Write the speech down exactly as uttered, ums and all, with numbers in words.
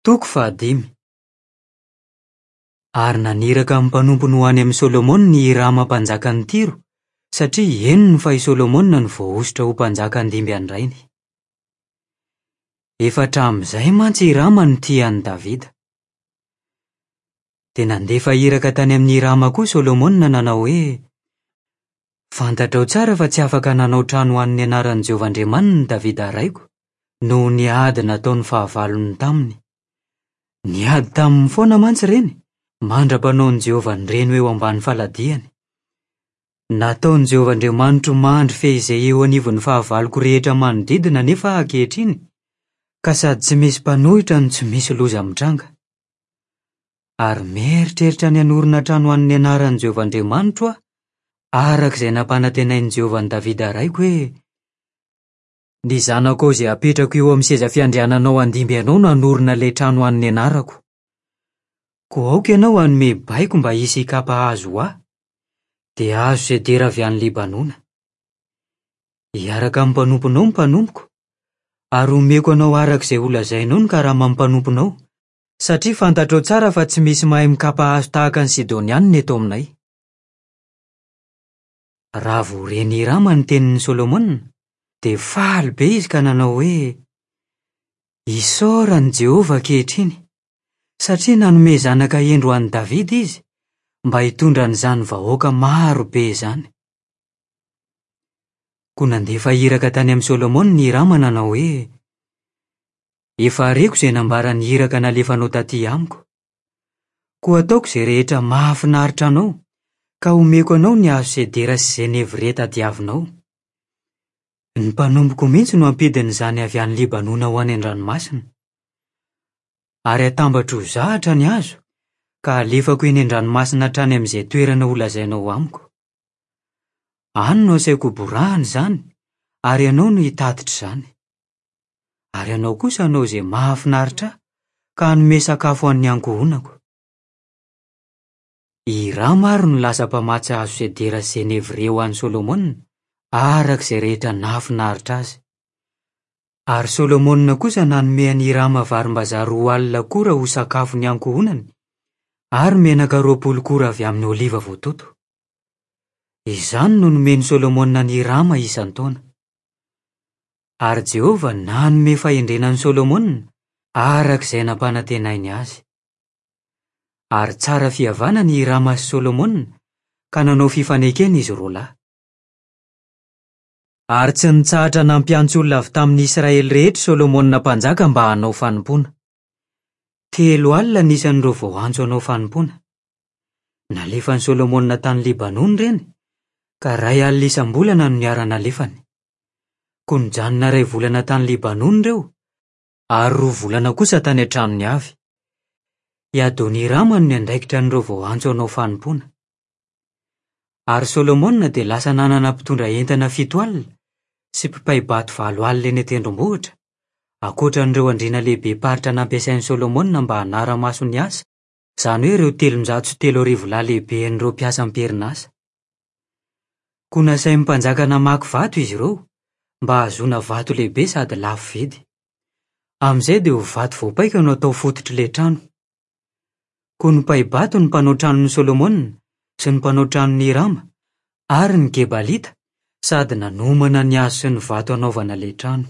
Toko fahadimy. Ary naniraka ny mpanompony ho any amin'i Solomona i Hirama mpanjakan'i Tyro, satria henony fa i Solomona no voahosotra ho mpanjaka handimby an-drainy. Efa hatramin'izay mantsy Hirama no tia an'i Davida. Dia nandefa iraka tany amin'i Hirama koa Solomona nanao hoe: "Fantatrao tsara fa tsy afaka nanao trano ho an'ny anaran'i Jehovah Andriamaniny Davida raiko, noho ny ady nataon'ny fahavalony taminy. Niady taminy foana mantsy ireny, mandra-panaon'i Jehovah an'ireny ho eo ambany faladiany. Nataon'i Jehovah Andriamanitro mandry fehizay eo anivon'ny fahavaloko rehetra manodidina anefa aho ankehitriny, ka sady tsy misy mpanohitra no tsy misy loza mitranga. Ary mieritreritra ny hanorina trano ho an'ny anaran'i Jehovah Andriamanitro aho, araka izay nampanantenain'i Jehovah an'i Davida raiko hoe: Ny zanakao izay hapetrako eo amin'ny seza fiandriananao handimby anao no hanorina ilay trano ho an'ny anarako. Koa aoka ianao hanome baiko mba hisy hikapa hazo ho ahy, dia hazo sedera avy any Libanona. Hiaraka amin'ny mpanomponao ny mpanompoko, ary homeko anao araka izay holazainao ny karaman'ny mpanomponao, satria fantatrao tsara fa tsy misy mahay mikapa hazo tahaka ny Sidonianina eto aminay. Raha vao ren'i Hirama ny tenin'i Solomona, dia faly be izy ka nanao hoe: "Isaorana i Jehovah ankehitriny, satria nanome zanaka hendry ho an'i Davida izy mba hitondra an'izany vahoaka maro be izany." Koa nandefa iraka tany amin'i Solomona i Hirama nanao hoe: "Efa reko izay nambaran'ny iraka nalefanao taty amiko. Koa ataoko izay rehetra mahafinaritra anao, ka omeko anao ny hazo sedera sy zenevrie tadiavinao. Ny mpanompoko mihitsy no hampidina izany avy any Libanona ho any an-dranomasina. Ary hatambatro ho zahatra ny hazo, ka halefako eny an-dranomasina hatrany amin'izay toerana holazainao amiko. Any no asaiko hoborahana izany, ary ianao no hitatitra izany. Ary ianao kosa hanao izay mahafinaritra ahy, ka hanome sakafo ho an'ny ankohonako." I Hirama ary no lasa mpamatsy hazo sedera sy zenevrie ho an'i Solomona, araka izay rehetra nahafinaritra azy. Ary Solomona kosa nanome an'i Hirama varimbazaha roa alina kora ho sakafon'ny ankohonany, ary menaka roapolo kora avy amin'ny oliva voatoto. Izany no nomen'i Solomona an'i Hirama isan-taona. Ary Jehovah nanome fahendrena an'i Solomona araka izay nampanantenainy azy. Ary tsara fihavanana i Hirama sy Solomona, ka nanao fifanekena izy roa lahy. Ary tsy nitsahatra nampiantso olona avy tamin'ny Israely rehetra Solomona mpanjaka mba hanao fanompoana. Telo alina ny isan'ireo voaantso hanao fanompoana. Nalefan'i Solomona tany Libanona ireny, ka iray alina isam-bolana no niara-nalefany. Koa nijanona iray volana tany Libanona ireo, ary roa volana kosa tany an-tranony avy. I Adonirama no niandraikitra an'ireo voaantso hanao fanompoana. Ary Solomona dia lasa nanana mpitondra entana fito alina sy mpipay-bato valo alina eny an-tendrombohitra, ankoatra an'ireo andriana lehibe-paritra nampiasain'i Solomona mba hanara-maso ny asa, izany hoe ireo telonjato sy telo arivo lahy lehiben'ireo mpiasa am-perinasa. Koa nasain'ny mpanjaka namaky vato izy ireo, mba hahazoana vato lehibe sady lafo vidy. Amin'izay dia ho vato voapaika no atao fototr'ilay trano. Koa nipay-bato ny mpanao tranon'i Solomona sy ny mpanao tranon'i Hirama ary ny Gebalita, sady nanomana ny hazo sy ny vato hanaovana ilay trano.